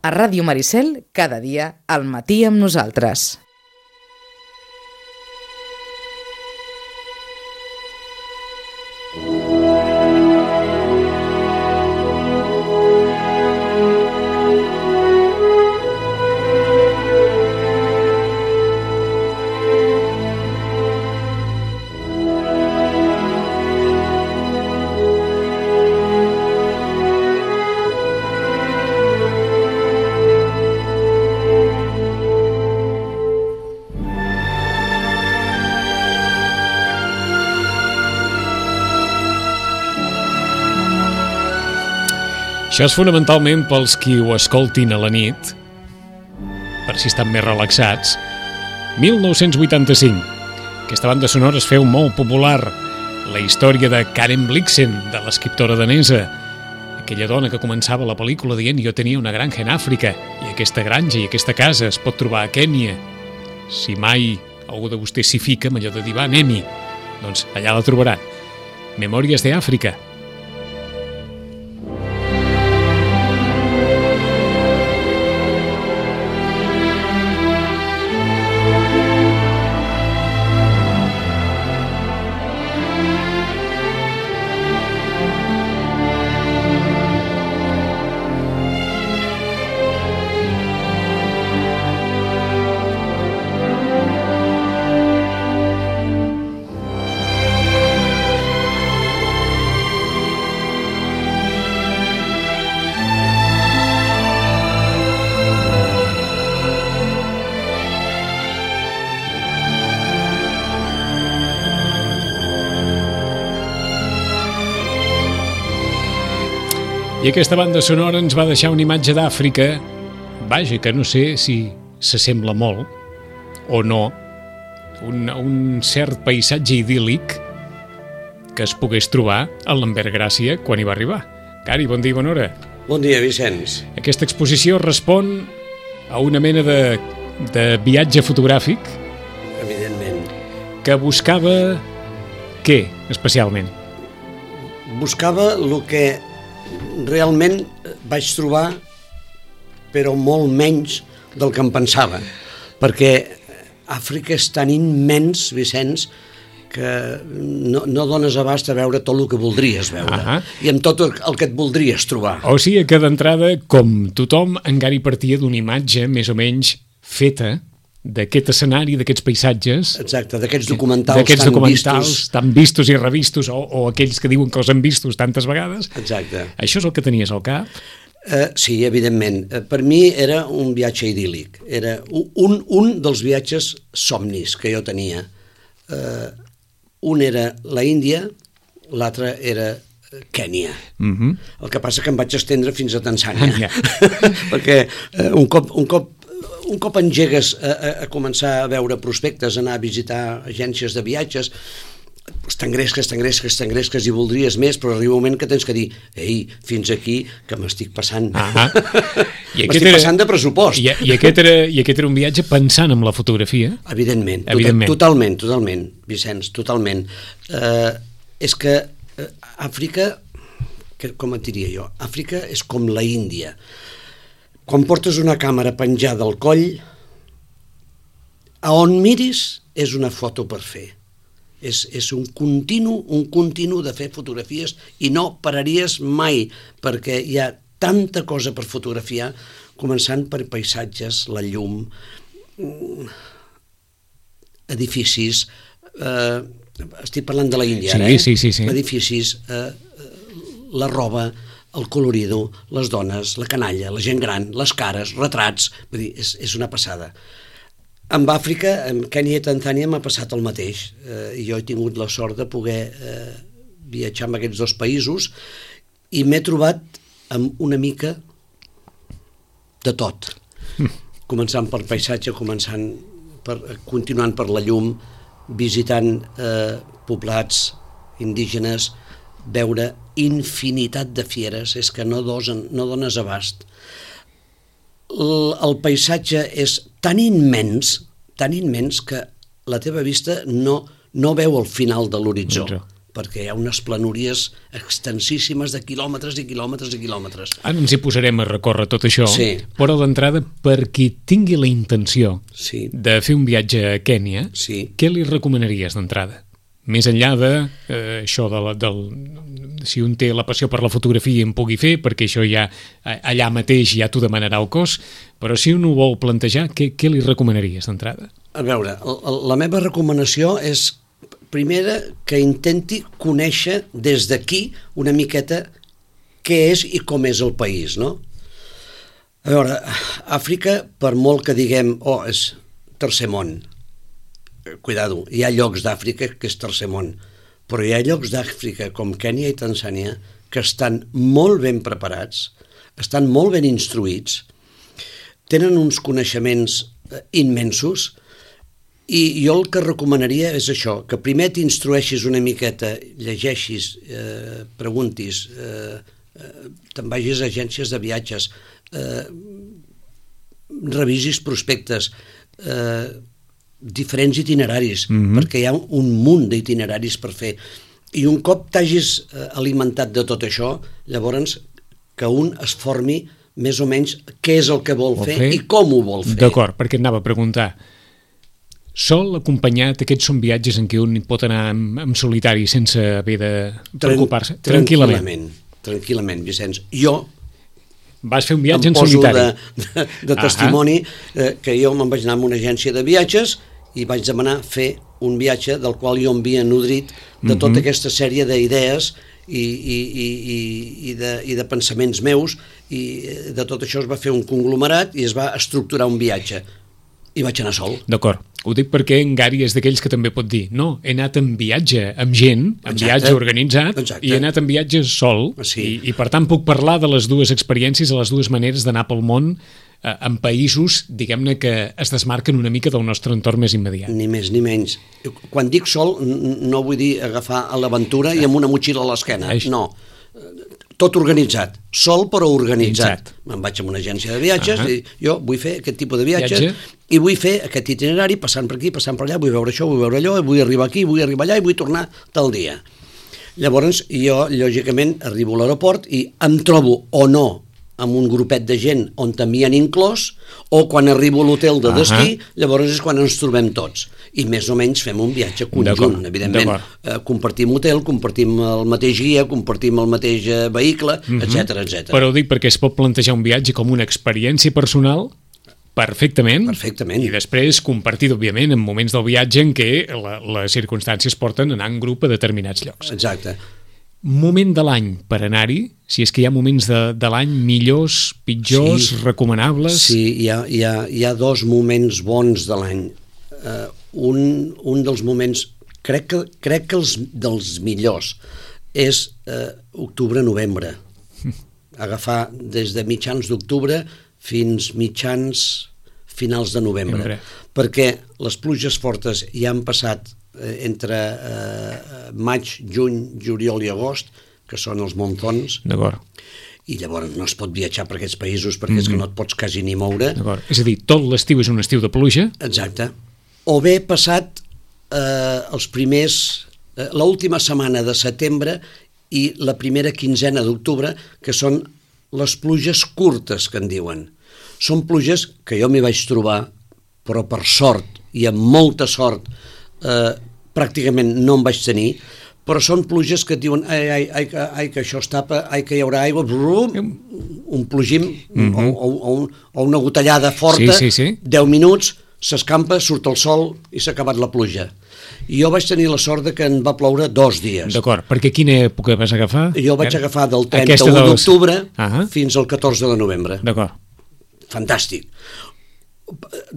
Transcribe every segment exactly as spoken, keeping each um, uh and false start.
A Ràdio Maricel, cada dia, al matí amb nosaltres. Això és fonamentalment pels qui ho escoltin a la nit, per si estan més relaxats. mil nou-cents vuitanta-cinc. Aquesta banda sonora es feu molt popular. La història de Karen Blixen, de l'escriptora danesa. Aquella dona que començava la pel·lícula dient jo tenia una granja en Àfrica, i aquesta granja i aquesta casa es pot trobar a Kènia. Si mai algú de vostès s'hi fica amb allò de dir va, anem-hi, doncs allà la trobaran. Memòries d'Àfrica. I aquesta banda sonora ens va deixar una imatge d'Àfrica, vaja, que no sé si s'assembla molt o no, un, un cert paisatge idíl·lic que es pogués trobar a l'Envers Gràcia quan hi va arribar. Cari, bon dia i bona hora. Bon dia, Vicenç. Aquesta exposició respon a una mena de, de viatge fotogràfic. Evidentment. Que buscava què, especialment? Buscava el que realment vaig trobar, però molt menys del que em pensava, perquè Àfrica és tan immens, Vicenç, que no, no dones abast a veure tot el que voldries veure. Uh-huh. I amb tot el que et voldries trobar. O sigui que d'entrada, com tothom, encara hi partia d'una imatge més o menys feta d'aquest escenari, d'aquests paisatges. Exacte, d'aquests documentals, d'aquests tan documentals vistos. tan vistos i revistos, o, o aquells que diuen que els han vistos tantes vegades. Exacte. Això és el que tenies al cap? Uh, sí, evidentment. Uh, per mi era un viatge idíl·lic. Era un, un dels viatges somnis que jo tenia. Uh, un era la Índia, l'altre era Kènia. Uh-huh. El que passa que em vaig estendre fins a Tanzània. Perquè uh, un cop... Un cop Un cop engegues a, a, a començar a veure prospectes, anar a visitar agències de viatges, t'engresques, t'engresques, t'engresques i voldries més, però arriba un moment que tens que dir ei, fins aquí que m'estic passant. Ah, m'estic era, passant de pressupost. I, i, aquest era, I aquest era un viatge pensant en la fotografia? Evidentment, Evidentment. Tot, totalment, totalment, Vicenç, totalment. Uh, és que uh, Àfrica, que, com et diria jo, Àfrica és com la Índia. Quan portes una càmera penjada al coll, a on miris és una foto per fer. És, és un continu, un continu de fer fotografies i no pararies mai, perquè hi ha tanta cosa per fotografiar, començant per paisatges, la llum, edificis, eh, estic parlant de la Índia, sí, ara, eh? Sí, sí, sí. Edificis, eh, la roba, el colorido, les dones, la canalla, la gent gran, les cares, retrats, vull dir, és, és una passada. Amb Àfrica, amb Kènia i Tanzània m'ha passat el mateix. Eh, jo he tingut la sort de poder eh, viatjar amb aquests dos països i m'he trobat amb una mica de tot. Mm. Començant per paisatge, començant per, continuant per la llum, visitant eh, poblats indígenes, veure infinitat de fieres, és que no, dosen, no dones abast. El, el paisatge és tan immens, tan immens que la teva vista no, no veu el final de l'horitzó. perquè hi ha unes planúries extensíssimes de quilòmetres i quilòmetres i quilòmetres. Ara ens hi posarem a recórrer tot això, sí. Però d'entrada, per qui tingui la intenció sí. de fer un viatge a Kènia, sí. què li recomanaries d'entrada? Més enllà de eh, això de la, del, si un té la passió per la fotografia en pugui fer, perquè això ja allà mateix ja t'ho demanarà el cos, però si un ho vol plantejar, què, què li recomanaries d'entrada? A veure, la meva recomanació és, primera, que intenti conèixer des d'aquí una miqueta què és i com és el país, no? A veure, Àfrica, per molt que diguem, oh, és tercer món, cuidado, hi ha llocs d'Àfrica que és tercer món, però hi ha llocs d'Àfrica com Kènia i Tanzània que estan molt ben preparats, estan molt ben instruïts, tenen uns coneixements immensos, i jo el que recomanaria és això, que primer t'instrueixis una miqueta, llegeixis, eh, preguntis, eh, eh, te'n vagis a agències de viatges, eh, revisis prospectes, eh, diferents itineraris, mm-hmm. perquè hi ha un munt d'itineraris per fer. I un cop t'hagis alimentat de tot això, llavors que un es formi més o menys què és el que vol, vol fer, fer i com ho vol fer. D'acord, perquè et anava a preguntar. Sol acompanyat, aquests són viatges en què un pot anar en, en solitari sense haver de preocupar-se? Tran tranquil·lament. Tranquil·lament, Vicenç. Jo vas fer un viatge en Em solitari. poso de, de, de testimoni eh, que jo me'n vaig anar a una agència de viatges i vaig demanar fer un viatge del qual jo em havia nodrit de tota aquesta sèrie d'idees i, i, i, i, i, de, i de pensaments meus, i de tot això es va fer un conglomerat i es va estructurar un viatge. I vaig anar sol. D'acord. Ho dic perquè en Gary és d'aquells que també pot dir no, he anat en viatge amb gent, en Exacte. viatge organitzat, Exacte. i he anat en viatge sol, sí. i, i per tant puc parlar de les dues experiències, de les dues maneres d'anar pel món eh, en països, diguem-ne, que es desmarquen una mica del nostre entorn més immediat. Ni més ni menys. Quan dic sol, no vull dir agafar a l'aventura i amb una motxilla a l'esquena, no. Tot organitzat, sol però organitzat. Me'n vaig a una agència de viatges uh -huh. i jo vull fer aquest tipus de viatges Viatge. i vull fer aquest itinerari passant per aquí, passant per allà, vull veure això, vull veure allò, vull arribar aquí, vull arribar allà i vull tornar tal dia. Llavors jo, lògicament, arribo a l'aeroport i em trobo o no amb un grupet de gent on també han inclòs, o quan arribo a l'hotel de destí, uh -huh. llavors és quan ens trobem tots. I més o menys fem un viatge conjunt, evidentment. Eh, compartim hotel, compartim el mateix guia, compartim el mateix eh, vehicle, uh -huh. etcètera, etcètera. Però ho dic perquè es pot plantejar un viatge com una experiència personal perfectament, perfectament. I després compartit, òbviament, en moments del viatge en què la, les circumstàncies porten a anar en grup a determinats llocs. Exacte. Moment de l'any per anar-hi, si és que hi ha moments de, de l'any millors, pitjors, sí. recomanables... Sí, hi ha, hi, ha, hi ha dos moments bons de l'any. Uh, un, un dels moments, crec que, crec que els dels millors, és uh, octubre-novembre. Agafar des de mitjans d'octubre fins mitjans finals de novembre. Sempre. Perquè les pluges fortes ja han passat entre eh, maig, juny, juliol i agost, que són els monzons, i llavors no es pot viatjar per aquests països perquè mm-hmm. és que no et pots quasi ni moure. És a dir, tot l'estiu és un estiu de pluja? Exacte. O bé passat eh, els primers, eh, l'última setmana de setembre i la primera quinzena d'octubre, que són les pluges curtes, que en diuen. Són pluges que jo m'hi vaig trobar, però per sort, i amb molta sort, Uh, pràcticament no en vaig tenir, però són pluges que et diuen ai, ai, ai, ai que això es tapa, ai que hi haurà aigua, brum, un plogim mm-hmm. o, o, o, un, o una gotellada forta, sí, sí, sí. deu minuts, s'escampa, surt el sol i s'ha acabat la pluja. I jo vaig tenir la sort de que en va ploure dos dies. D'acord, perquè quina època vas agafar? Jo vaig agafar del trenta-u dels... d'octubre uh-huh. fins al catorze de novembre. D'acord. Fantàstic.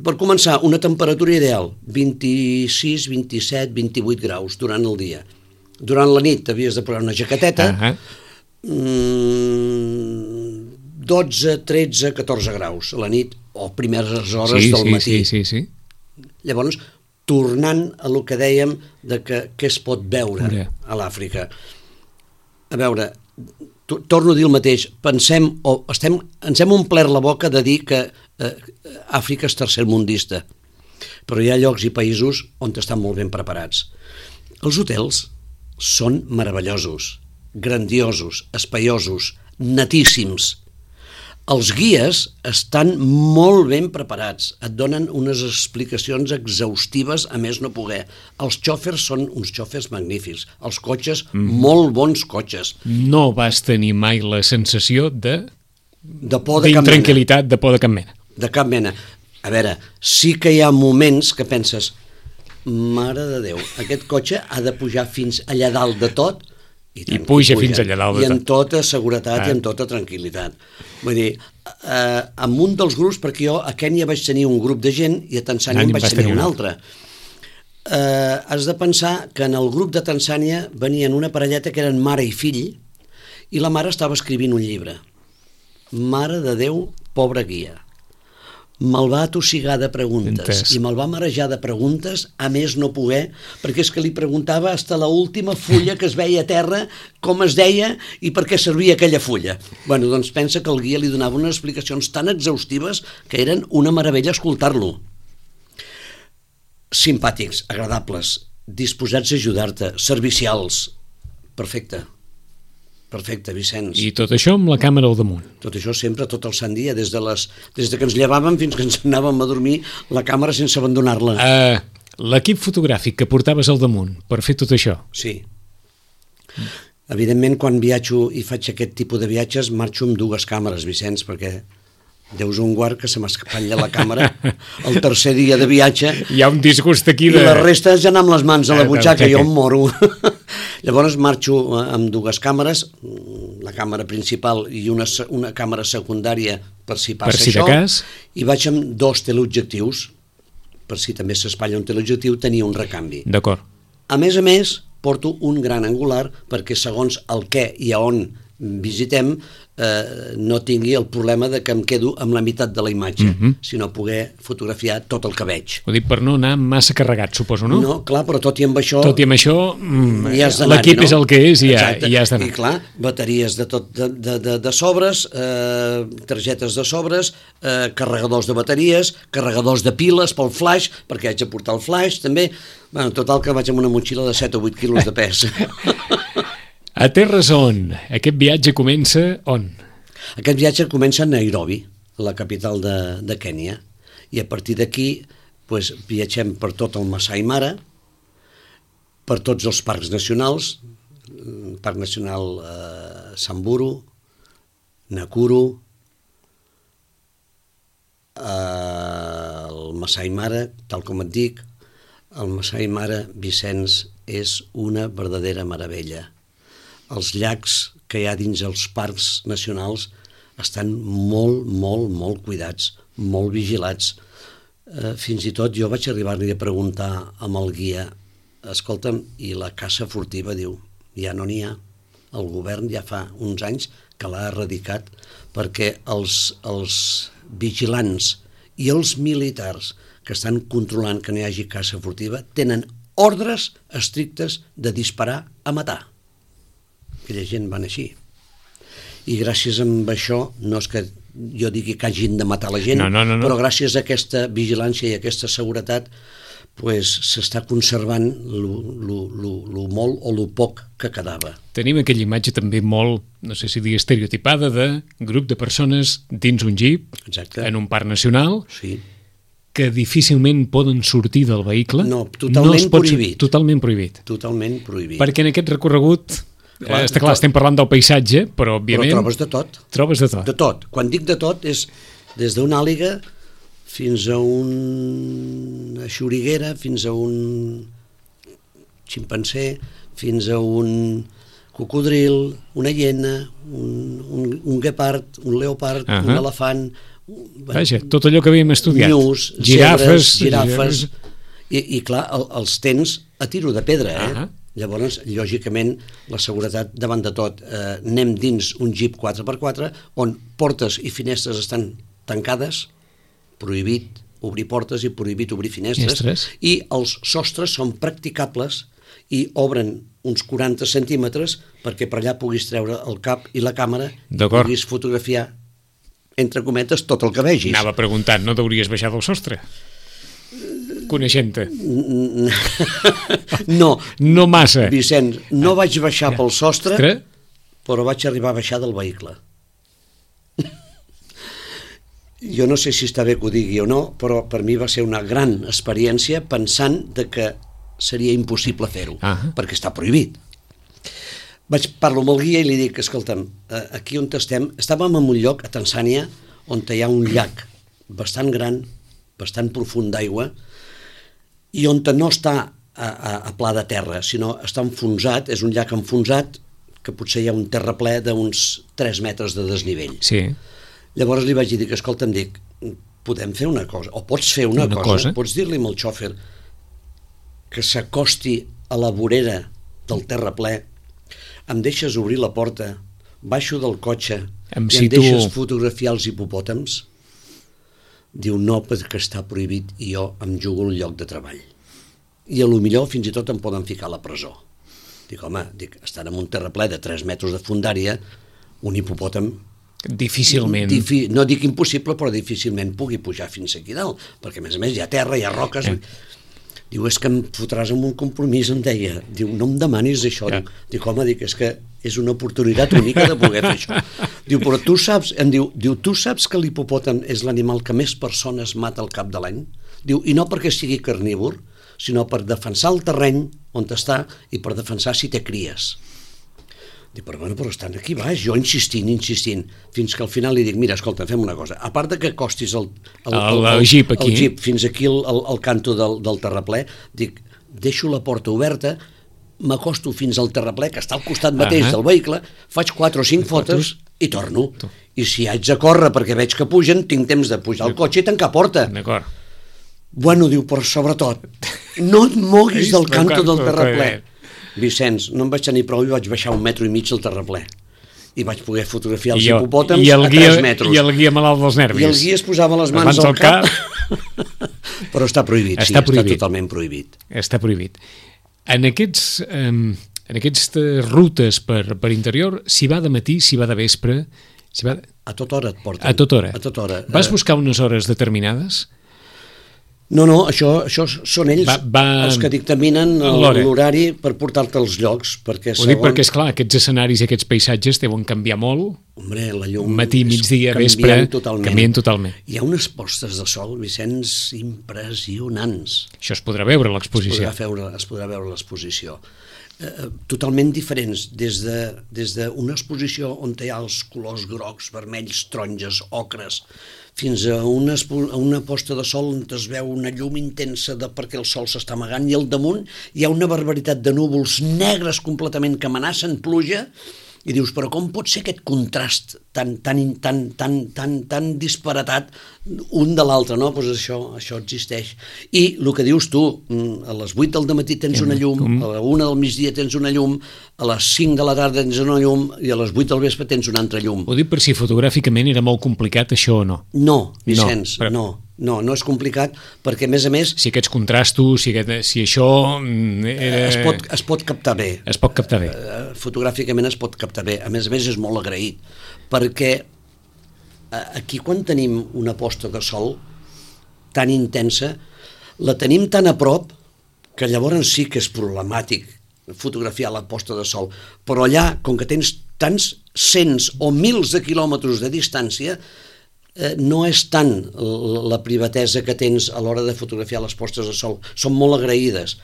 Per començar, una temperatura ideal, vint-i-sis, vint-i-set, vint-i-vuit graus durant el dia. Durant la nit havies de posar una jaqueteta, uh-huh. mm, dotze, tretze, catorze graus a la nit o primeres hores sí, del sí, matí. Sí, sí, sí. Llavors, tornant a lo que dèiem de que, què es pot veure okay. a l'Àfrica. A veure, torno a dir el mateix, pensem, o estem, ens hem omplert la boca de dir que eh, Àfrica és tercermundista, però hi ha llocs i països on estan molt ben preparats. Els hotels són meravellosos, grandiosos, espaiosos, netíssims. Els guies estan molt ben preparats, et donen unes explicacions exhaustives a més no poder. Els xòfers són uns xòfers magnífics, els cotxes, mm. molt bons cotxes. No vas tenir mai la sensació de... De por de cap mena. D'intranquil·litat, de por de cap mena. De cap mena. A veure, sí que hi ha moments que penses, mare de Déu, aquest cotxe ha de pujar fins allà dalt de tot, i, I puja, puja fins allà dalt de tot. I en tota seguretat ah. i en tota tranquil·litat. Vull dir, eh, amb un dels grups, perquè jo a Kènia vaig tenir un grup de gent i a Tanzània en vaig tenir un altre. Eh, has de pensar que en el grup de Tanzània venien una parelleta que eren mare i fill, i la mare estava escrivint un llibre. Mare de Déu, pobra guia. Me'l va atossigar de preguntes Entès. I me'l va marejar de preguntes a més no poder, perquè és que li preguntava hasta la última fulla que es veia a terra com es deia i per què servia aquella fulla. Bueno, doncs pensa que el guia li donava unes explicacions tan exhaustives que eren una meravella escoltar-lo. Simpàtics, agradables, disposats a ajudar-te, servicials. Perfecte. Perfecte, Vicenç. I tot això amb la càmera al damunt. Tot això sempre, tot el sant dia, des de, les, des de que ens llevàvem fins que ens anàvem a dormir, la càmera sense abandonar-la. Uh, L'equip fotogràfic que portaves al damunt per fer tot això. Sí. Evidentment, quan viatjo i faig aquest tipus de viatges, marxo amb dues càmeres, Vicenç, perquè Déus un guard que se m'espatlla la càmera el tercer dia de viatge. Hi ha un disgust aquí de... I la resta ja anar amb les mans a la butxaca, jo em moro. Llavors marxo amb dues càmeres, la càmera principal i una, una càmera secundària per si passa per si això, cas. I vaig amb dos teleobjectius, per si també s'espatlla un teleobjectiu, tenia un recanvi. D'acord. A més a més, porto un gran angular perquè segons el què i a on visitem eh, no tingui el problema de que em quedo amb la meitat de la imatge, mm-hmm. sinó poder fotografiar tot el que veig. Ho dic per no anar massa carregat, suposo, no? No, clar, però tot i amb això... Tot i amb això, mm, no? l'equip és el que és i ja, i ja has d'anar. I clar, bateries de tot de, de, de, de sobres, eh, targetes de sobres, eh, carregadors de bateries, carregadors de piles pel flash, perquè haig de portar el flash, també. Bueno, total que vaig amb una motxilla de set o vuit quilos de pes. A terres on? Aquest viatge comença on? Aquest viatge comença a Nairobi, la capital de, de Kènia, i a partir d'aquí pues, viatgem per tot el Masai Mara, per tots els parcs nacionals, el Parc Nacional eh, Samburu, Nakuru, eh, el Masai Mara, tal com et dic, el Masai Mara, Vicenç, és una verdadera meravella. Els llacs que hi ha dins els parcs nacionals estan molt, molt, molt cuidats, molt vigilats. Eh, fins i tot jo vaig arribar-li a preguntar amb el guia, escolta'm, i la caça furtiva? Diu, ja no n'hi ha. El govern ja fa uns anys que l'ha erradicat perquè els, els vigilants i els militars que estan controlant que no hi hagi caça furtiva tenen ordres estrictes de disparar a matar. Aquella gent van així. I gràcies a això, no és que jo digui que hagin de matar la gent, no, no, no, no. però gràcies a aquesta vigilància i a aquesta seguretat pues, s'està conservant lo, lo, lo, lo molt o lo poc que quedava. Tenim aquella imatge també molt, no sé si dir estereotipada, de grup de persones dins un jeep, Exacte. En un parc nacional, sí. que difícilment poden sortir del vehicle. No, totalment no prohibit. Totalment prohibit. Totalment prohibit. Perquè en aquest recorregut... Clar, eh, està clar, estem parlant del paisatge, però òbviament... Però trobes de tot. Trobes de tot. De tot. Quan dic de tot és des d'una àliga fins a una xoriguera, fins a un ximpanzé, fins a un cocodril, una hiena, un, un, un guepard, un leopard, uh -huh. un elefant... Vaja, tot allò que havíem estudiat. Nyus, girafes, zebres, girafes... I, I clar, el, els tens a tiro de pedra, eh? Uh -huh. Llavors, lògicament, la seguretat davant de tot. Eh, anem dins un jeep quatre per quatre on portes i finestres estan tancades, prohibit obrir portes i prohibit obrir finestres, Finestres. I els sostres són practicables i obren uns quaranta centímetres perquè per allà puguis treure el cap i la càmera i puguis fotografiar, entre cometes, tot el que vegis. Anava preguntant, no t'hauries baixat del sostre? coneixent-te. No. No massa. Vicenç, no vaig baixar pel sostre, Ostres. però vaig arribar a baixar del vehicle. Jo no sé si està bé que ho digui o no, però per mi va ser una gran experiència pensant de que seria impossible fer-ho, ah. perquè està prohibit. Vaig parlo amb el guia i li dic, escolta'm, aquí on estem, estàvem en un lloc a Tanzània on hi ha un llac bastant gran, bastant profund d'aigua, i on no està a, a, a pla de terra, sinó està enfonsat, és un llac enfonsat, que potser hi ha un terraplè d'uns tres metres de desnivell. Sí. Llavors li vaig dir, escolta'm, dic, podem fer una cosa, o pots fer una, una cosa, cosa, pots dir-li al xòfer que s'acosti a la vorera del terraplè, em deixes obrir la porta, baixo del cotxe em i situ... em deixes fotografiar els hipopòtams? Diu, no, perquè està prohibit i jo em jugo un lloc de treball. I a lo millor fins i tot em poden ficar a la presó. Dic, home, dic, estan en un terraplè de tres metres de fondària, un hipopòtam... Difícilment. Difi, no dic impossible, però difícilment pugui pujar fins aquí dalt, perquè a més a més hi ha terra, hi ha roques... Eh. Diu, és que em fotràs en un compromís, em deia. Diu, no em demanis això. Ja. Dic, dic, home, dic, és que és una oportunitat única de poder fer això. Diu, però tu saps, em diu, diu, tu saps que l'hipopòtam és l'animal que més persones mata al cap de l'any? Diu, i no perquè sigui carnívor, sinó per defensar el terreny on està i per defensar si té cries. Dic, però bueno, però estan aquí baix, jo insistint, insistint, fins que al final li dic, mira, escolta, fem una cosa, a part de que costis el, el, el, el, el, jeep, aquí. el jeep fins aquí al, al, al canto del, del terraplè, dic, deixo la porta oberta, m'acosto fins al terraplè, que està al costat mateix uh -huh. del vehicle, faig quatre o cinc fotos i torno. I si haig de córrer perquè veig que pugen, tinc temps de pujar al cotxe i tancar porta. D'acord. Bueno, diu, però sobretot, no et moguis del canto del terraplè. Vicenç, no em vaig tenir prou i vaig baixar un metro i mig al terraplè. I vaig poder fotografiar els hipopòtams a tres metres. I el guia malalt dels nervis. I el guia es posava les mans al cap. Però està prohibit, sí, està totalment prohibit. Està prohibit. En aquests, en aquestes rutes per, per interior, s'hi va de matí, s'hi va de vespre... Va... A tota hora et porten. A tota hora. A tota hora. Vas buscar unes hores determinades? No, no, això, això són ells va, va... els que dictaminen l'horari per portar-te als llocs. Perquè Ho segons... dic perquè, esclar, aquests escenaris i aquests paisatges deuen canviar molt. Hombre, la llum... Matí, migdia, vespre, totalment. canvien totalment. Hi ha unes postes de sol, Vicenç, impressionants. Això es podrà veure a l'exposició. Es podrà veure, es podrà veure a l'exposició. Eh, totalment diferents, des de, des d'una exposició on hi ha els colors grocs, vermells, taronges, ocres, fins a una, a una posta de sol on es veu una llum intensa de perquè el sol s'està amagant i al damunt hi ha una barbaritat de núvols negres completament que amenacen pluja i dius, però com pot ser aquest contrast tan, tan, tan, tan, tan, tan disparatat un de l'altre, no? Doncs això, això existeix. I el que dius tu, a les vuit del dematí tens una llum, a la una del migdia tens una llum, a les cinc de la tarda tens una llum i a les vuit del vespre tens una altra llum. Ho dic per si fotogràficament era molt complicat això o no. No, Vicenç, no, però... no. No, no és complicat, perquè a més a més... Si aquests contrastos, si, aquest, si això... Era... Es, pot, es pot captar bé. Es pot captar bé. Uh, fotogràficament es pot captar bé. A més a més és molt agraït, perquè aquí quan tenim una posta de sol tan intensa, la tenim tan a prop que llavors sí que és problemàtic fotografiar la posta de sol. Però allà, com que tens tants cents o mils de quilòmetres de distància, no és tant la privatesa que tens a l'hora de fotografiar les postes de sol. Són molt agraïdes,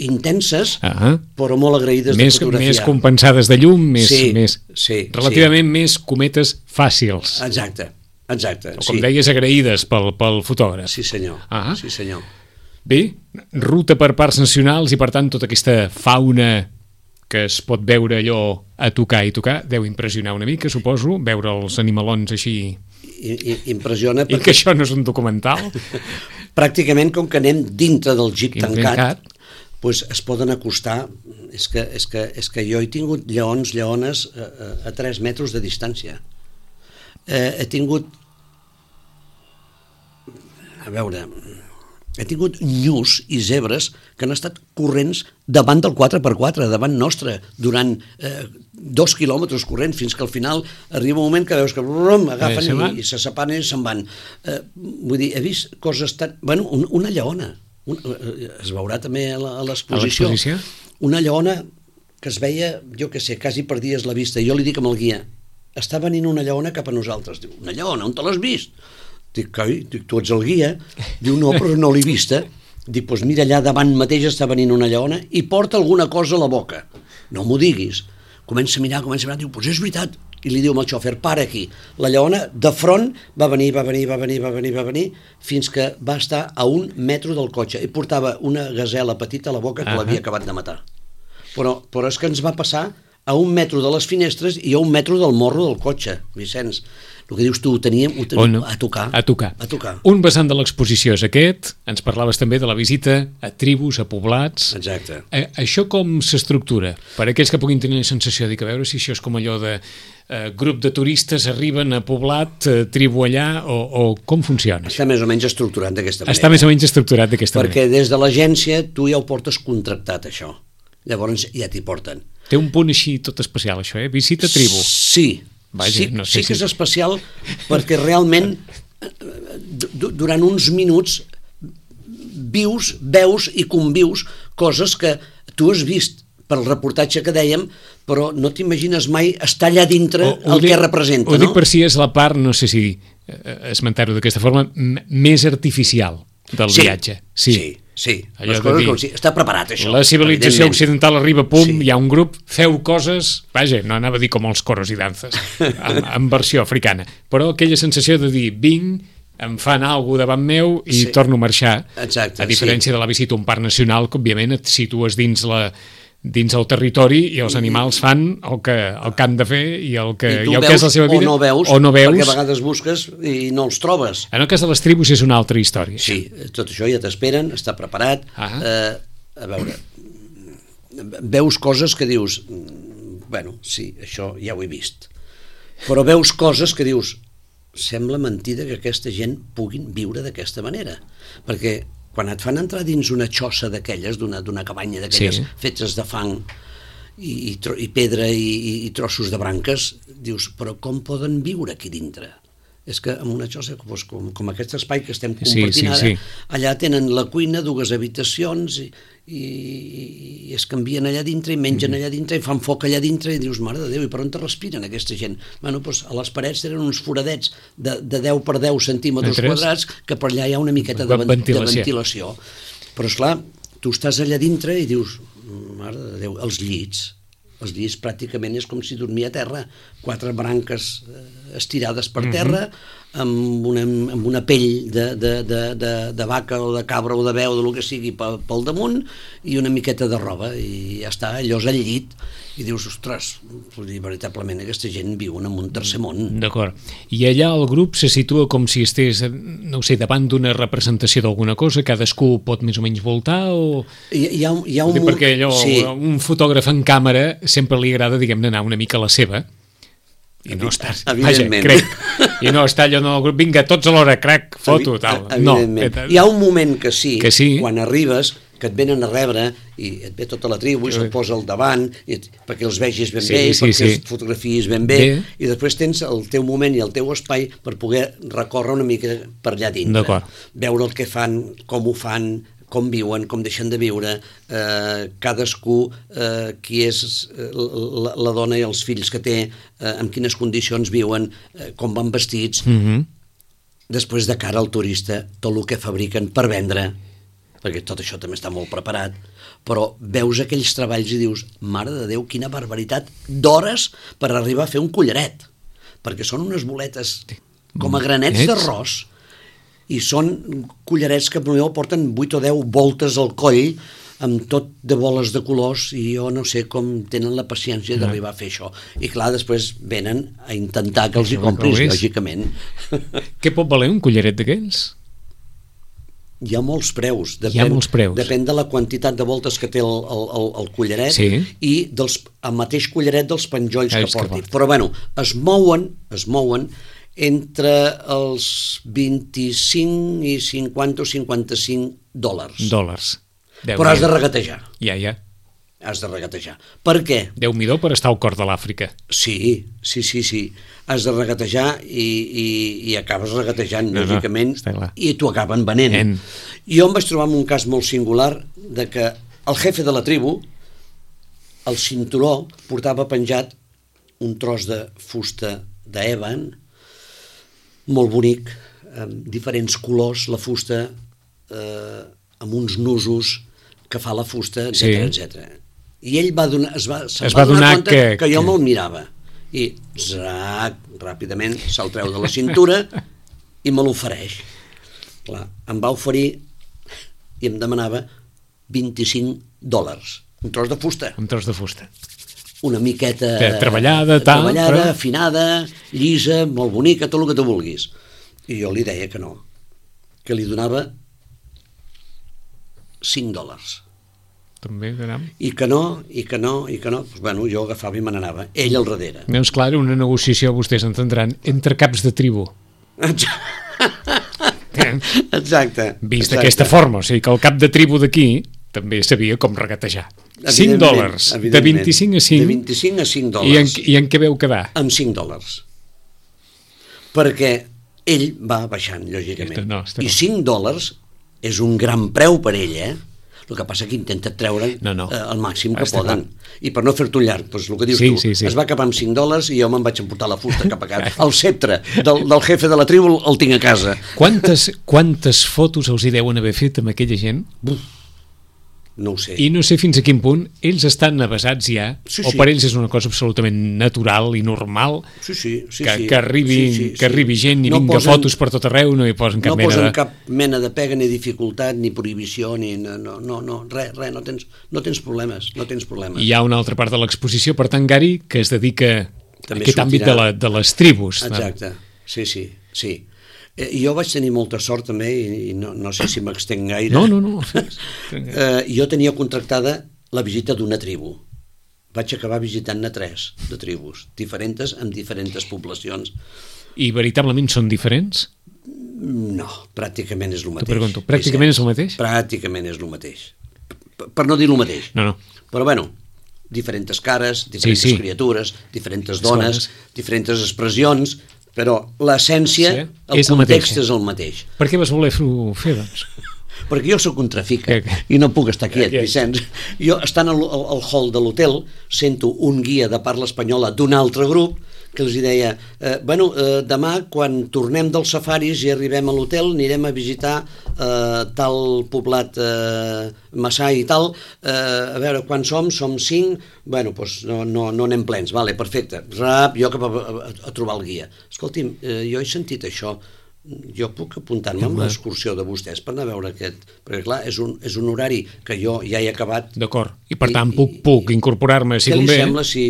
intenses, uh-huh. però molt agraïdes més, de fotografiar. Més compensades de llum, més, sí, més sí, relativament sí. més cometes fàcils. Exacte, exacte. O com sí. deies, agraïdes pel, pel fotògraf. Sí senyor, uh-huh. sí senyor. Bé, ruta per parcs nacionals i per tant tota aquesta fauna que es pot veure allò a tocar i tocar, deu impressionar una mica, suposo, veure els animalons així... I, i, impressiona perquè... I que això no és un documental? Pràcticament, com que anem dintre del jeep tancat, doncs es poden acostar, és que, és que, és que jo he tingut lleons, lleones a, a, a tres metres de distància. Eh, he tingut... A veure... He tingut nyus i zebres que han estat corrents davant del quatre per quatre, davant nostre, durant eh, dos quilòmetres corrents, fins que al final arriba un moment que veus que brum, agafen eh, i, i se separen i se'n van. Eh, vull dir, he vist coses tan... Bueno, un, una lleona, un, es veurà també a l'exposició, una lleona que es veia, jo què sé, quasi perdies la vista. Jo li dic amb el guia, està venint una lleona cap a nosaltres. Diu, una lleona, on te l'has vist? Dic, coi, dic, tu ets el guia. Diu, no, però no l'he vista. Dic, doncs mira, allà davant mateix està venint una lleona i porta alguna cosa a la boca. No m'ho diguis. Comença a mirar, comença a mirar, diu, doncs és veritat. I li diu al xòfer, para aquí. La lleona, de front, va venir, va venir, va venir, va venir, va venir, fins que va estar a un metro del cotxe i portava una gasela petita a la boca que uh-huh. l'havia acabat de matar. Però, però és que ens va passar a un metro de les finestres i a un metro del morro del cotxe, Vicenç. El que dius tu, ho teníem, ho teníem no? a tocar. A tocar. A tocar. Un vessant de l'exposició és aquest, ens parlaves també de la visita a tribus, a poblats. Exacte. A, això com s'estructura? Per aquells que puguin tenir la sensació de que a veure si això és com allò de eh, grup de turistes arriben a poblat, eh, tribu allà, o, o com funciona? Està més o menys estructurat d'aquesta manera. Està més o menys estructurat d'aquesta Perquè manera. des de l'agència tu ja ho portes contractat, això. Llavors ja t'hi porten. Té un punt així tot especial, això, eh? Visita tribu. Sí, Vaja, sí, no sé sí que si... és especial perquè realment durant uns minuts vius, veus i convius coses que tu has vist pel reportatge que dèiem, però no t'imagines mai estar allà dintre o, el dic, que representa. Ho no? dic per si és la part, no sé si esmentar-ho d'aquesta forma, més artificial del sí, viatge. Sí, sí. Sí, allò les coses dir, com si... està preparat això. La civilització occidental arriba, pum, sí. Hi ha un grup, feu coses, vaja, no anava a dir com els coros i danses, en, en versió africana, però aquella sensació de dir, vinc, em fan alguna cosa davant meu i sí. torno a marxar. Exacte, a diferència sí. de la visita a un parc nacional, que òbviament et situes dins la... dins el territori i els animals fan el que, el que han de fer i el que, I i el que és la seva vida o no, veus, o no veus perquè a vegades busques i no els trobes. En el cas de les tribus és una altra història. Sí, tot això ja t'esperen, està preparat. Ah. eh, a veure, veus coses que dius, bueno, sí, això ja ho he vist, però veus coses que dius, sembla mentida que aquesta gent puguin viure d'aquesta manera, perquè quan et fan entrar dins una xossa d'aquelles, d'una d'una cabanya d'aquelles sí. fetes de fang i, i, tro, i pedra i, i trossos de branques, dius, però com poden viure aquí dintre? És que en una xossa doncs, com, com aquest espai que estem compartint sí, sí, ara, sí. allà tenen la cuina, dues habitacions i, i, i es canvien allà dintre i mengen allà dintre i fan foc allà dintre i dius, mare de Déu, i per on te respiren aquesta gent? Bueno, doncs a les parets tenen uns foradets de, de deu per deu centímetres Entres? quadrats que per allà hi ha una miqueta de, ventilació. de ventilació. Però esclar, tu estàs allà dintre i dius, mare de Déu, els llits, els llits pràcticament és com si dormia a terra, quatre branques estirades per terra, uh-huh. amb, una, amb una pell de, de, de, de, de vaca o de cabra o de beu, del que sigui, pel, pel damunt, i una miqueta de roba, i ja està, allò és al llit, i dius, ostres, veritablement aquesta gent viu en un tercer món. D'acord. I allà el grup se situa com si estigués, no ho sé, davant d'una representació d'alguna cosa, cadascú pot més o menys voltar, o... Hi, hi ha, hi ha un... Perquè allò, sí. un fotògraf en càmera sempre li agrada, diguem-ne, anar una mica a la seva, i no està, vaja, crec, i no està allò en el grup, vinga, tots a l'hora, crac, foto, tal. No. Hi ha un moment que sí, que sí, quan arribes, que et venen a rebre i et ve tota la tribu i se'l posa al davant i et, perquè els vegis ben sí, bé, sí, perquè sí. els fotografies ben bé, bé, i després tens el teu moment i el teu espai per poder recórrer una mica per allà dintre. Veure el que fan, com ho fan, com viuen, com deixen de viure, eh, cadascú, eh, qui és eh, la, la dona i els fills que té, eh, en quines condicions viuen, eh, com van vestits. Mm-hmm. Després, de cara al turista, tot el que fabriquen per vendre, perquè tot això també està molt preparat, però veus aquells treballs i dius, mare de Déu, quina barbaritat d'hores per arribar a fer un collaret, perquè són unes boletes com a granets d'arròs, i són collarets que potser porten vuit o deu voltes al coll, amb tot de boles de colors, i jo no sé com tenen la paciència d'arribar a fer això. I clar, després venen a intentar que els hi compris, lògicament. Què pot valer un collaret d'aquells? Hi ha molts preus. Depèn, Hi ha molts preus. Depèn de la quantitat de voltes que té el, el, el collaret sí. i dels, el mateix collaret dels penjolls que porti. Que Però bueno, es mouen, es mouen entre els vint-i-cinc i cinquanta o cinquanta-cinc dòlars. Dòlars. Però has de regatejar. Ja, ja. has de regatejar. Per què? Déu-n'hi-do per estar al cor de l'Àfrica. Sí, sí, sí, sí. Has de regatejar i, i, i acabes regatejant, no, lògicament, no, i t'ho acaben venent. En... Jo em vaig trobar en un cas molt singular de que el jefe de la tribu, el cinturó, portava penjat un tros de fusta d'èban, molt bonic, amb diferents colors, la fusta, eh, amb uns nusos que fa la fusta, etcètera, sí. etcètera. I ell va donar, es va, es va, va donar, donar compte que, que jo que... me'l mirava. I zac, ràpidament se'l treu de la cintura i me l'ofereix. Clar, em va oferir i em demanava vint-i-cinc dòlars. Un tros de fusta. Un tros de fusta. Una miqueta... De treballada, tal... Treballada, però... afinada, llisa, molt bonica, tot el que tu vulguis. I jo li deia que no. Que li donava cinc dòlars. També, caram. I que no, i que no, i que no. Pues, bueno, jo agafava i me n'anava. Ell al darrere. Doncs clar, una negociació, vostès entendran, entre caps de tribu. Exacte. Vist d'aquesta forma, o sigui que el cap de tribu d'aquí també sabia com regatejar. cinc dòlars, de vint-i-cinc a cinc. De vint-i-cinc a cinc dòlars. I en, i en què veu quedar? Amb cinc dòlars. Perquè ell va baixant, lògicament. No, I cinc dòlars és un gran preu per ell, eh? El que passa que intenta treure no, no. Eh, el màxim que està poden. Clar. I per no fer-t'ho llarg, doncs el que dius sí, tu, sí, sí. es va acabar amb cinc dòlars i jo me'n vaig emportar la fusta cap a casa. El sceptre del, del jefe de la tribu el tinc a casa. Quantes, quantes fotos els hi deuen haver fet amb aquella gent? Buf, no ho sé. I no sé fins a quin punt ells estan avesats ja, sí, o sí. per ells és una cosa absolutament natural i normal, sí, sí, sí, que, sí. que, arribi, sí, sí, que arribi sí. gent i no vinga posen, fotos per tot arreu, no hi posen cap no mena posen de... cap mena de pega, ni dificultat, ni prohibició, ni... No, no, no, res, res, no tens, no tens problemes, no tens problemes. Hi ha una altra part de l'exposició, per tant, Gary, que es dedica també a aquest àmbit de, la, de les tribus. Exacte, no? sí, sí, sí. Eh, jo vaig tenir molta sort també, i, i no, no sé si m'extenc gaire. No, no, no. eh, jo tenia contractada la visita d'una tribu. Vaig acabar visitant-ne tres de tribus, diferents, amb diferents poblacions. I veritablement són diferents? No, pràcticament és el mateix. T'ho pregunto, pràcticament és el mateix? Pràcticament és el mateix. Per no dir el mateix. No, no. Però bueno, diferents cares, diferents sí, sí. criatures, diferents dones, diferents expressions, però l'essència, sí, el és context el és el mateix. Per què vas voler fer, doncs? Perquè jo soc un trafica okay. i no puc estar quiet, okay. Vicenç. Jo, estant al, al, al hall de l'hotel, sento un guia de parla espanyola d'un altre grup que els deia, eh, bueno, eh, demà quan tornem dels safaris i arribem a l'hotel anirem a visitar eh, tal poblat eh, Massai i tal, eh, a veure quan som, som cinc, bueno, doncs no, no, no anem plens, vale, perfecte, rap, jo cap a, a, a trobar el guia. Escolti'm, eh, jo he sentit això, jo puc apuntar-me amb l'excursió de vostès per anar a veure aquest, perquè clar, és un, és un horari que jo ja he acabat. D'acord, i per tant i, puc, puc incorporar-me si convé. Què li sembla si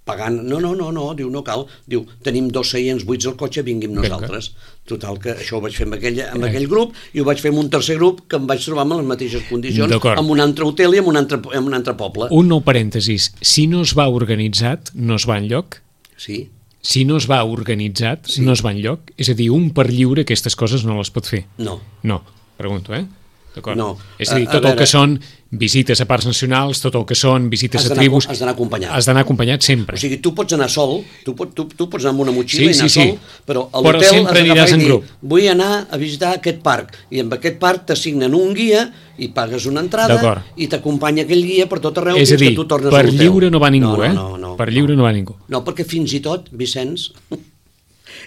pagant, no, no, no, no, diu, no cal, diu, tenim dos seients buits al cotxe, vinguim nosaltres. Total, que això ho vaig fer amb aquell, amb aquell grup i ho vaig fer amb un tercer grup que em vaig trobar amb les mateixes condicions, amb un altre hotel i amb un altre, amb un altre poble. Un nou parèntesis, si no es va organitzat, no es va enlloc? Sí. Si no es va organitzat, sí. no es va enlloc? És a dir, un per lliure aquestes coses no les pot fer? No. No, pregunto, eh? D'acord. No. És a dir, tot a, a el veure... que són visites a parcs nacionals, tot el que són visites a tribus... Has d'anar acompanyat. Has d'anar acompanyat sempre. O sigui, tu pots anar sol, tu, pot, tu, tu pots anar amb una motxilla sí, i anar sí, sí. sol, però a l'hotel has d'agafar i dir, grup. vull anar a visitar aquest parc, i amb aquest parc t'assignen un guia i pagues una entrada i t'acompanya aquell guia per tot arreu és fins a dir, que tu tornes a per lliure no va ningú, no, eh? No, no, no, per lliure no va ningú. No, perquè fins i tot, Vicenç,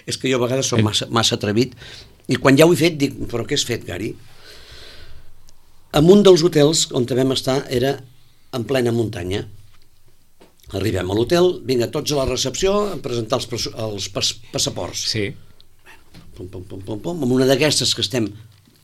és que jo a vegades soc massa, massa atrevit, i quan ja ho he fet dic, però què has fet, Gary? En un dels hotels on vam estar era en plena muntanya. Arribem a l'hotel, vinga, tots a la recepció a presentar els, els pas, passaports. Sí. Pum, pum, pum, pum, pum, amb una d'aquestes que estem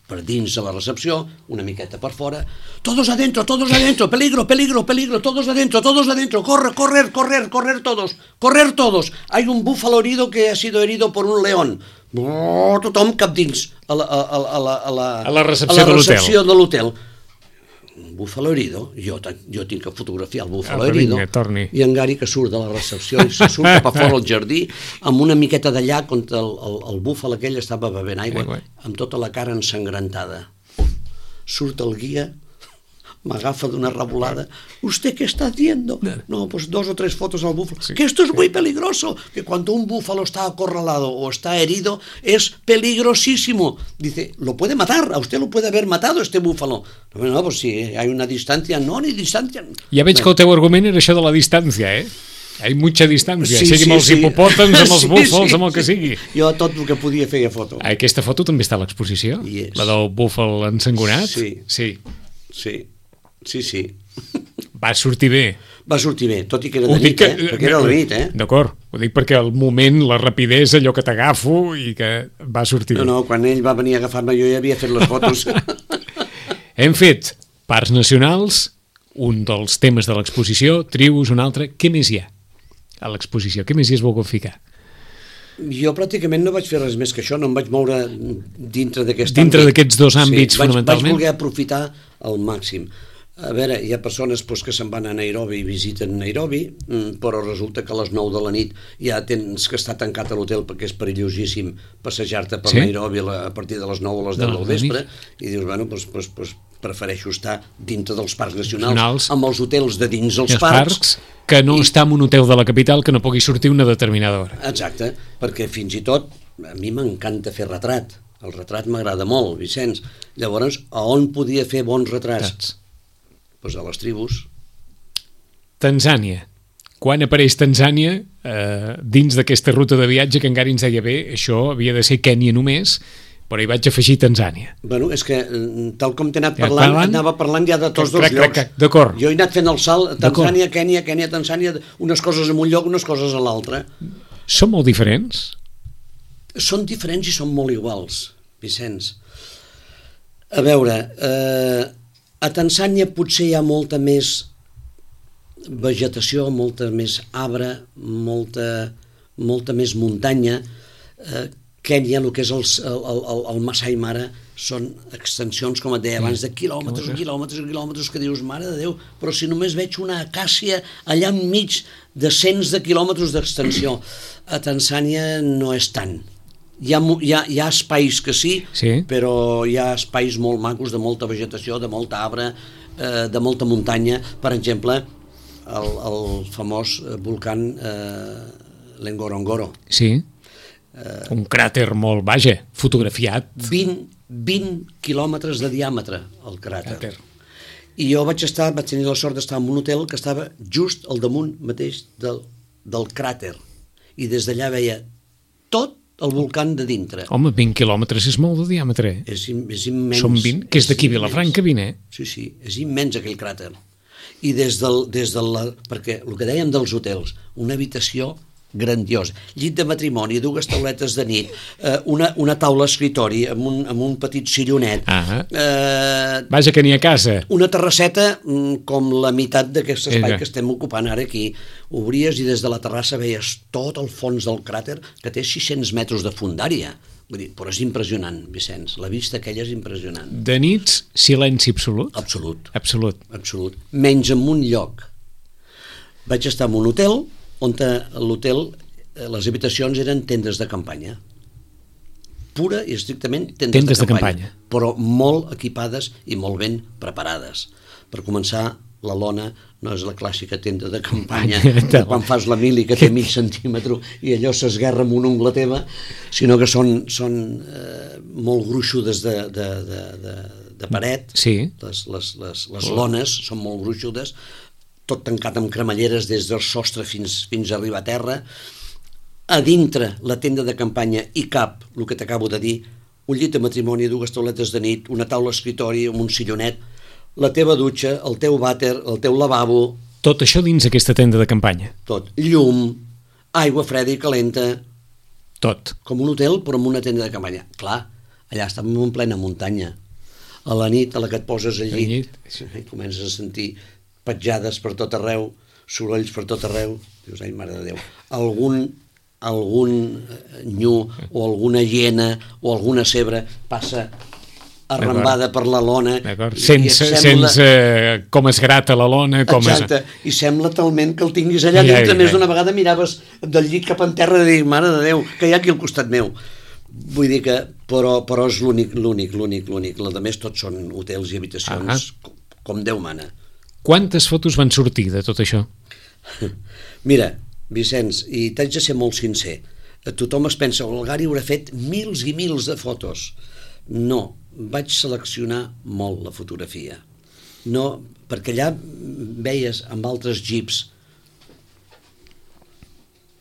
per dins de la recepció, una miqueta per fora, todos adentro, todos adentro, peligro, peligro, peligro, todos adentro, todos adentro, corre, correr, correr, correr todos, correr todos, hay un búfalo herido que ha sido herido por un león. Oh, tothom cap dins a la, a, a, la, a la, a la recepció, a la recepció de l'hotel. Un búfalo herido, jo, jo tinc que fotografiar el búfalo ah, herido, vinga, i en Gary que surt de la recepció i se surt cap a fora al jardí amb una miqueta de llac on el, el, el búfal aquell estava bevent aigua, amb tota la cara ensangrentada. Surt el guia m'agafa d'una revolada. ¿Usted qué está haciendo? No, pues dos o tres fotos al búfalo. Sí, que esto es sí. muy peligroso, que cuando un búfalo está acorralado o está herido es peligrosísimo. Dice, lo puede matar, a usted lo puede haber matado este búfalo. No, no, pues si hay una distancia, no, ni distancia. Ja veig que el teu argument era això de la distància, eh? Hi ha mucha distància, Sí, sigui sí, amb els sí. hipopòtams, amb els Sí, búfals, sí, amb el que sí. sigui. Jo tot el que podia feia foto. Aquesta foto també està a l'exposició? Hi és. La del búfal ensangonat? Sí. Sí. Sí, sí, sí. Va sortir bé. Va sortir bé, tot i que era Ho de dic nit, eh? Perquè era de nit, eh? D'acord, ho dic perquè el moment, la rapidesa, allò que t'agafo i que va sortir No, bé. no, quan ell va venir a agafar-me jo ja havia fet les fotos. Hem fet parcs nacionals, un dels temes de l'exposició, trios, un altre. Què més hi ha a l'exposició? Què més hi has volgut ficar? Jo pràcticament no vaig fer res més que això, no em vaig moure dintre d'aquest Dintre àmbit. d'aquests dos àmbits, sí, vaig, fonamentalment? Vaig voler aprofitar al màxim. A veure, hi ha persones doncs, que se'n van a Nairobi i visiten Nairobi, però resulta que a les nou de la nit ja tens que estar tancat a l'hotel perquè és perillosíssim passejar-te per Sí? Nairobi a partir de les nou a les deu De del la vespre, i dius, bueno, doncs, doncs, doncs prefereixo estar dintre dels parcs nacionals, Nacionals. amb els hotels de dins I els els parcs, parcs, que no i- està en un hotel de la capital que no pugui sortir una determinada hora. Exacte, perquè fins i tot a mi m'encanta fer retrat. El retrat m'agrada molt, Vicenç. Llavors, a on podia fer bons retrats? Saps? Doncs a les tribus. Tanzània. Quan apareix Tanzània eh, dins d'aquesta ruta de viatge que encara ens deia bé, això havia de ser Kènia només, però hi vaig afegir Tanzània. Bueno, és que mm, tal com t'he anat Ja parlant, parlant? anava parlant ja de tots dos Crac, crac, llocs. crac, d'acord. Jo he anat fent el salt, D'acord. Tanzània, Kènia, Kènia, Tanzània, unes coses en un lloc, unes coses a l'altre. Són molt diferents? Són diferents i són molt iguals, Vicenç. A veure, eh, a Tanzània potser hi ha molta més vegetació, molta més arbre, molta, molta més muntanya. Eh, Kènia, el que és el, el, el, el Masai Mara, són extensions, com et deia abans, de quilòmetres i quilòmetres i quilòmetres, que dius, mare de Déu, però si només veig una acàcia allà enmig de cents de quilòmetres d'extensió. A Tanzània no és tant. Hi ha, hi, ha, hi ha espais que sí, Sí. però hi ha espais molt macos, de molta vegetació, de molta arbre, eh, de molta muntanya. Per exemple, el, el famós volcán eh, l'Engorongoro. Sí. Un cràter molt, vaja, fotografiat. vint, vint quilòmetres de diàmetre, el cràter. Cràter. I jo vaig estar, vaig tenir la sort d'estar en un hotel que estava just al damunt mateix del, del cràter. I des d'allà veia tot el volcán de dintre. Home, vint quilòmetres és molt de diàmetre. eh? És, im, és immens. Són vint, que és d'aquí immens. Vilafranca, vint, eh? Sí, sí, és immens aquell cràter. I des del, des del, perquè el que dèiem dels hotels, una habitació grandiosa, llit de matrimoni, dues tauletes de nit, eh, una, una taula escritori amb un, amb un petit sillonet, Ah. eh, Vaja, que n'hi ha casa. una terrasseta mm, com la meitat d'aquest espai Vinga. que estem ocupant ara aquí. Obries i des de la terrassa veies tot el fons del cràter, que té sis-cents metres de fondària. Vull dir, però és impressionant, Vicenç. La vista aquella és impressionant. De nits, silenci absolut. Absolut. Absolut. Absolut. Menys en un lloc. Vaig estar en un hotel on a l'hotel eh, les habitacions eren tendes de campanya. Pura i estrictament tendes, Tendes de, de campanya, campanya. però molt equipades i molt ben preparades. Per començar, la lona no és la clàssica tenda de campanya de quan fas la mili que té mig centímetre i allò s'esguerra amb una ungla teva, sinó que són, són eh, molt gruixudes de, de, de, de, de paret. Sí. Les, les, les, les lones són molt gruixudes, tot tancat amb cremalleres des del sostre fins, fins a arribar a terra. A dintre la tenda de campanya hi cap, el que t'acabo de dir, un llit de matrimoni, dues tauletes de nit, una taula escritori amb un sillonet, la teva dutxa, el teu vàter, el teu lavabo, Tot això dins aquesta tenda de campanya. tot. Llum, aigua freda i calenta, Tot. com un hotel però amb una tenda de campanya. Clar, allà estàvem en plena muntanya. A la nit, a la que et poses al Al llit, llit. i comences a sentir petjades per tot arreu, sorolls per tot arreu. Dius, ai, mare de Déu. Algun, algun nyu o alguna hiena o alguna cebre passa arrambada per la lona. D'acord. i- i Sense, sembla- sense eh, com es grata la lona, com Exacte, i sembla talment que el tinguis allà Ja, dintre. ja, Més ja. d'una vegada miraves del llit cap en terra i dius, mare de Déu, que hi ha aquí al costat meu. Vull dir que, però, però és l'únic, l'únic, l'únic, l'únic. La de més tots són hotels i habitacions Ah. com Déu mana. Quantes fotos van sortir de tot això? Mira, Vicenç, i t'haig de ser molt sincer, tothom es pensa, el Gary haurà fet mils i mils de fotos. No, vaig seleccionar molt la fotografia. No, perquè allà veies amb altres jeeps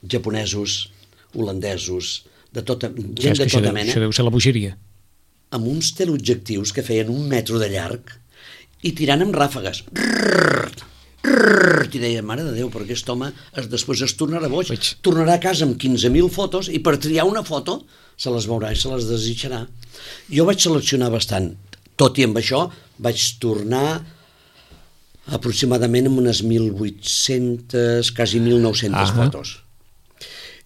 japonesos, holandesos, de tota, gent de tota mena. Això deu ser la bogeria. Amb uns teleobjectius que feien un metro de llarg i tirant amb ràfegues. Rrrr, rrrr, i deia, mare de Déu, però aquest home es, després es tornarà boig. Vaig. Tornarà a casa amb quinze mil fotos i per triar una foto se les veurà i se les desitjarà. Jo vaig seleccionar bastant. Tot i amb això vaig tornar aproximadament amb unes mil vuit-centes, quasi mil nou-centes ah. fotos.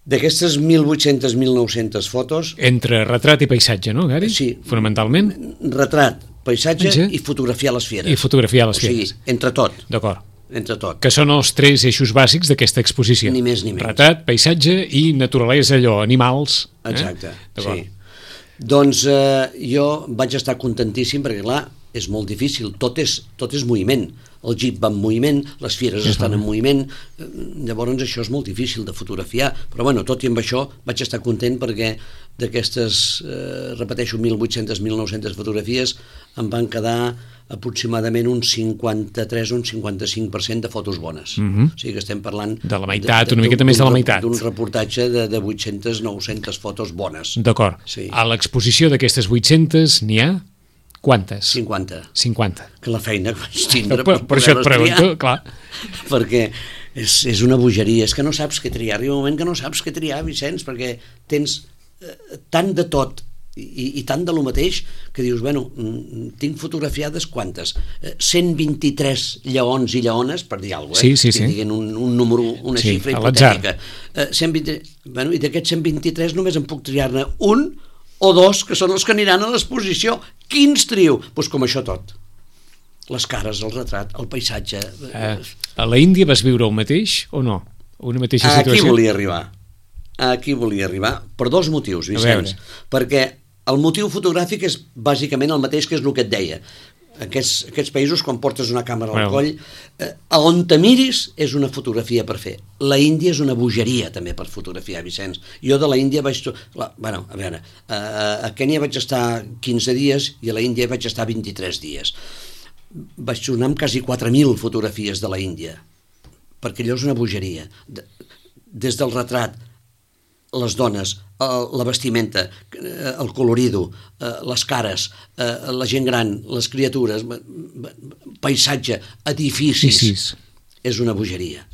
D'aquestes mil vuit-centes a mil nou-centes fotos... Entre retrat i paisatge, no, Gary? Sí. Fonamentalment? Retrat, paisatge sí. i fotografiar les fieres. I fotografiar les fieres. O sigui, entre tot. D'acord. Entre tot. Que són els tres eixos bàsics d'aquesta exposició. Ni més ni menys. Retrat, paisatge i naturalesa, allò, animals. Exacte, eh? sí. Doncs eh, jo vaig estar contentíssim perquè, clar, és molt difícil. Tot és, tot és moviment. El jeep va en moviment, les fieres sí, estan en moviment, llavors això és molt difícil de fotografiar, però bueno, tot i amb això vaig estar content perquè d'aquestes, eh, repeteixo, mil vuit-centes a mil nou-centes fotografies em van quedar aproximadament un cinquanta-tres o un cinquanta-cinc per cent de fotos bones. Mm-hmm. O sigui que estem parlant... De la meitat, una miqueta més de la meitat. D'un reportatge de, de vuit-centes a nou-centes fotos bones. D'acord. Sí. A l'exposició d'aquestes vuit-centes n'hi ha quantes? cinquanta. cinquanta. Que la feina que vaig tindre per, per això et pregunto, clar. Perquè és, és una bogeria, és que no saps què triar. Arriba un moment que no saps què triar, Vicenç, perquè tens eh, tant de tot i, i tant de lo mateix que dius, bueno, tinc fotografiades quantes? Eh, cent vint-i-tres lleons i lleones, per dir alguna cosa, eh? Sí, sí, sí. Que diguin un, un número, una sí, xifra hipotètica. Eh, cent vint... bueno, I d'aquests cent vint-i-tres només em puc triar-ne un o dos, que són els que aniran a l'exposició. Quins trio? Doncs pues com això tot. Les cares, el retrat, el paisatge... Eh, a la Índia vas viure el mateix o no? Una mateixa situació? Aquí volia arribar. Aquí volia arribar per dos motius, Vicenç. Perquè el motiu fotogràfic és bàsicament el mateix que és el que et deia. Aquests, aquests països, quan portes una càmera al well. coll, eh, a on te miris és una fotografia per fer. La Índia és una bogeria també per fotografiar, Vicenç. Jo de la Índia vaig... La, bueno, a veure, a, a Kènia vaig estar quinze dies i a la Índia vaig estar vint-i-tres dies. Vaig tornar amb quasi quatre mil fotografies de la Índia, perquè allò és una bogeria. De, des del retrat, les dones, la vestimenta, el colorido, les cares, la gent gran, les criatures, paisatge, edificis, sí, sí. És una bogeria.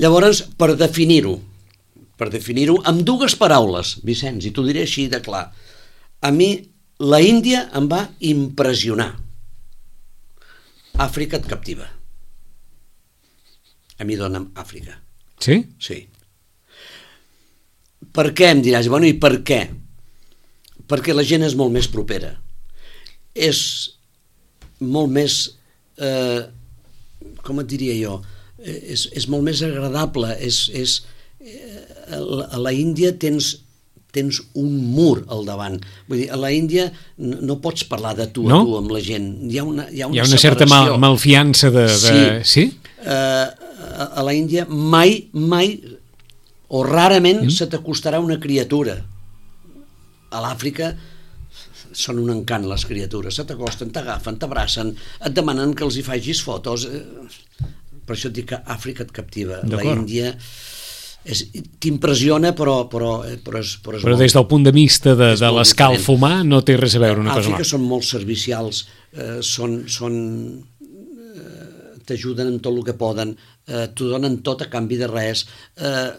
Llavors, per definir-ho, per definir-ho amb dues paraules, Vicenç, i t'ho diré així de clar, a mi la Índia em va impressionar. Àfrica et captiva. A mi dona'm Àfrica. Sí? Sí. Per què, em diràs? Bueno, i per què? Perquè la gent és molt més propera. És molt més, eh, com et diria jo, és, és molt més agradable. És, és, eh, a la Índia tens, tens un mur al davant. Vull dir, a la Índia no, no pots parlar de tu a no? tu amb la gent. Hi ha una, hi ha una, hi ha una certa mal, malfiança de... de... Sí. sí? Eh, a la Índia mai, mai... o rarament mm. se t'acostarà una criatura. A l'Àfrica són un encant les criatures, se t'acosten, t'agafen, t'abracen, et demanen que els hi facis fotos. Per això et dic que Àfrica et captiva. La Índia t'impressiona, però, però, però, és, però, és però molt, des del punt de vista de, de l'escalf humà no té res a veure una cosa amb l'altra. Àfrica són molt servicials, eh, són... són t'ajuden en tot el que poden, eh, t'ho donen tot a canvi de res, eh,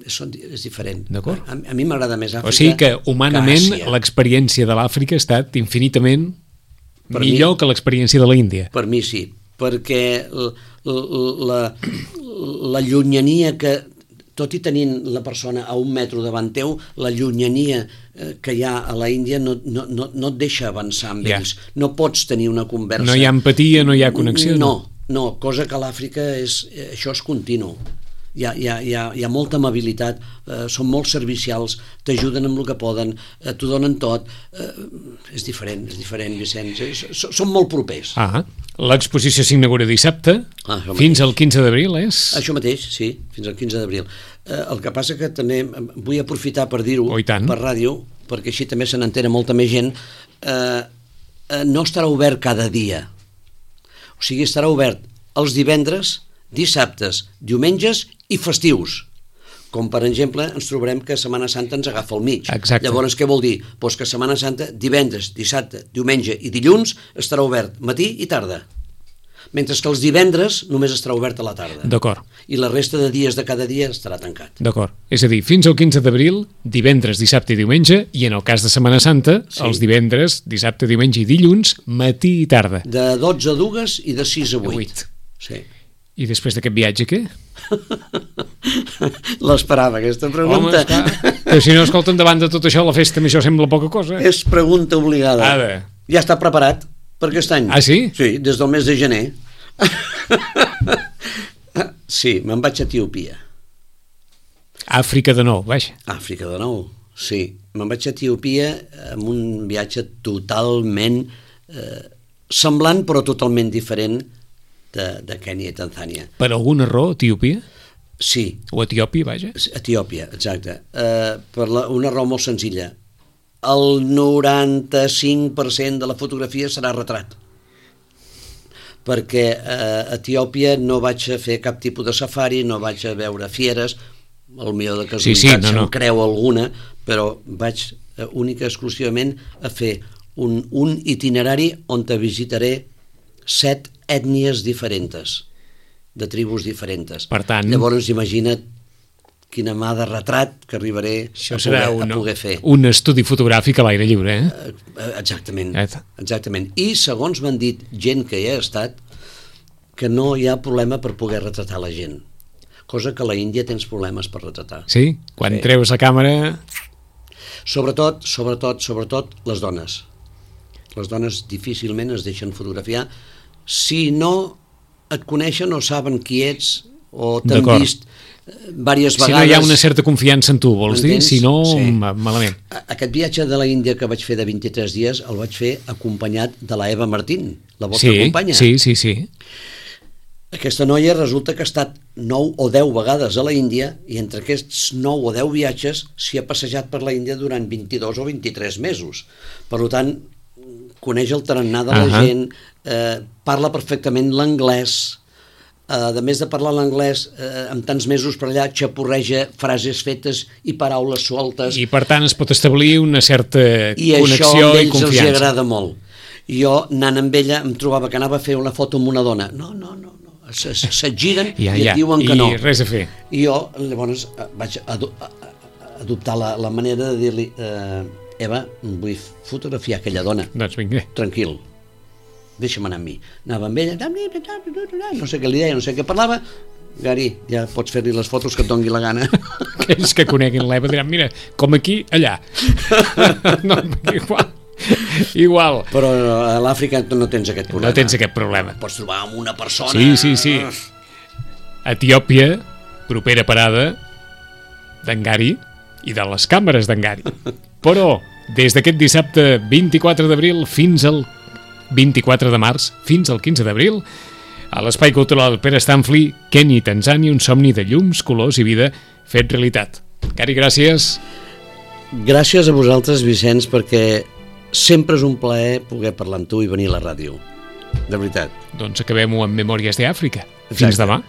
és, és diferent. D'acord. A, a mi m'agrada més Àfrica. O sigui que humanament que l'experiència de l'Àfrica ha estat infinitament per millor mi, que l'experiència de la Índia. Per mi sí, perquè la, la, la llunyania que, tot i tenint la persona a un metro davant teu, la llunyania que hi ha a la Índia no, no, no, no et deixa avançar amb ja. ells. No pots tenir una conversa. No hi ha empatia, no hi ha connexió. No, no, cosa que a l'Àfrica és, això és continu. Hi ha, hi ha, hi ha, hi ha molta amabilitat, eh, són molt servicials, t'ajuden amb el que poden, eh, t'ho donen tot. Eh, és diferent, és diferent, Vicenç. És, són molt propers. Ah, L'exposició s'inaugura dissabte, Ah, això fins mateix. al quinze d'abril, és? Això mateix, sí, fins al quinze d'abril. Eh, el que passa que també vull aprofitar per dir-ho Oh, i tant. per ràdio, perquè així també se n'entera molta més gent. Eh, eh, no estarà obert cada dia. O sigui, estarà obert els divendres, dissabtes, diumenges i festius. Com, per exemple, ens trobarem que Setmana Santa ens agafa al mig. Exacte. Llavors, què vol dir? Pues que Setmana Santa, divendres, dissabte, diumenge i dilluns estarà obert matí i tarda. Mentre que els divendres només estarà obert a la tarda. D'acord, I la resta de dies de cada dia estarà tancat. d'acord. És a dir, fins al quinze d'abril, divendres, dissabte i diumenge, i en el cas de Setmana Santa, Sí. els divendres, dissabte, diumenge i dilluns, matí i tarda. De dotze a dues i de sis a vuit. Vuit. Sí. I després d'aquest viatge, què? L'esperava, aquesta Home, pregunta. esclar, però si no, escolten, davant de tot això, la festa això sembla poca cosa. És pregunta obligada. Ara. Ja està preparat per aquest any. Ah, sí? Sí, des del mes de gener. Sí, me'n vaig a Etiòpia. Àfrica de nou, vaja. Àfrica de nou, sí. Me'n vaig a Etiòpia amb un viatge totalment eh, semblant però totalment diferent de, de Kènia i Tanzània. Per alguna raó, Etiòpia? Sí, O Etiòpia, vaja? Etiòpia, exacte. Eh, per la, una raó molt senzilla. El noranta-cinc per cent de la fotografia serà retrat. Perquè a Etiòpia no vaig a fer cap tipus de safari, no vaig a veure fieres, al millor de casualitat Sí, sí, no, se'm no. creu alguna, però vaig eh, única i exclusivament a fer un, un itinerari on te visitaré set ètnies diferents, de tribus diferents. Per tant- Llavors imagina't quina mà de retrat que arribaré Això a serà poder, un, a poder fer. un estudi fotogràfic a l'aire lliure, eh? Eh, Exactament, Eta. exactament. I segons m'han dit gent que hi ha estat, que no hi ha problema per poder retratar la gent. Cosa que a la Índia tens problemes per retratar. Sí? Quan Sí. treus la càmera... Sobretot, sobretot, sobretot les dones. Les dones difícilment es deixen fotografiar si no et coneixen o saben qui ets o t'han D'acord. vist eh, diverses Si no vegades. hi ha una certa confiança en tu, vols dir? M'entens? Si no, Sí. ma- malament. A- Aquest viatge de la Índia que vaig fer de vint-i-tres dies el vaig fer acompanyat de la Eva Martín, la vostra Sí, companya. sí, sí, sí. Aquesta noia resulta que ha estat nou o deu vegades a la Índia i entre aquests nou o deu viatges s'hi ha passejat per la Índia durant vint-i-dos o vint-i-tres mesos. Per tant, coneix el tarannà de la Ahà. gent, eh, parla perfectament l'anglès, eh, a més de parlar l'anglès, eh, amb tants mesos per allà xapurreja frases fetes i paraules sueltes. I per tant es pot establir una certa I això connexió a i ells els hi confiança. agrada molt. Jo, anant amb ella, em trobava que anava a fer una foto amb una dona. No, no, no, no. Se- se- se't giren Ja, i ja. et diuen que I no. res a fer. I jo, llavors, eh, vaig ado a- a- adoptar la, la manera de dir-li eh, Eva, vull fotografiar aquella dona. Doncs vinga. Tranquil, deixa'm anar amb mi. Anava amb ella, no sé què li deia, no sé què parlava. Gary, ja pots fer-li les fotos que et dongui la gana. Aquells que coneguin l'Eva diran, mira, com aquí, allà. No, igual. Igual. Però a l'Àfrica no tens aquest problema. No tens aquest problema. Pots trobar amb una persona... Sí, sí, sí. Etiòpia, propera parada d'Engari i de les càmeres d'Engari. Però, des d'aquest dissabte vint-i-quatre d'abril fins al vint-i-quatre de març, fins al quinze d'abril, a l'Espai Cultural Pere Stanfli, Kènia i Tanzània, un somni de llums, colors i vida fet realitat. Gary, gràcies. Gràcies a vosaltres, Vicenç, perquè sempre és un plaer poder parlar amb tu i venir a la ràdio. De veritat. Doncs acabem-ho amb Memòries d'Àfrica. Fins Exacte. demà.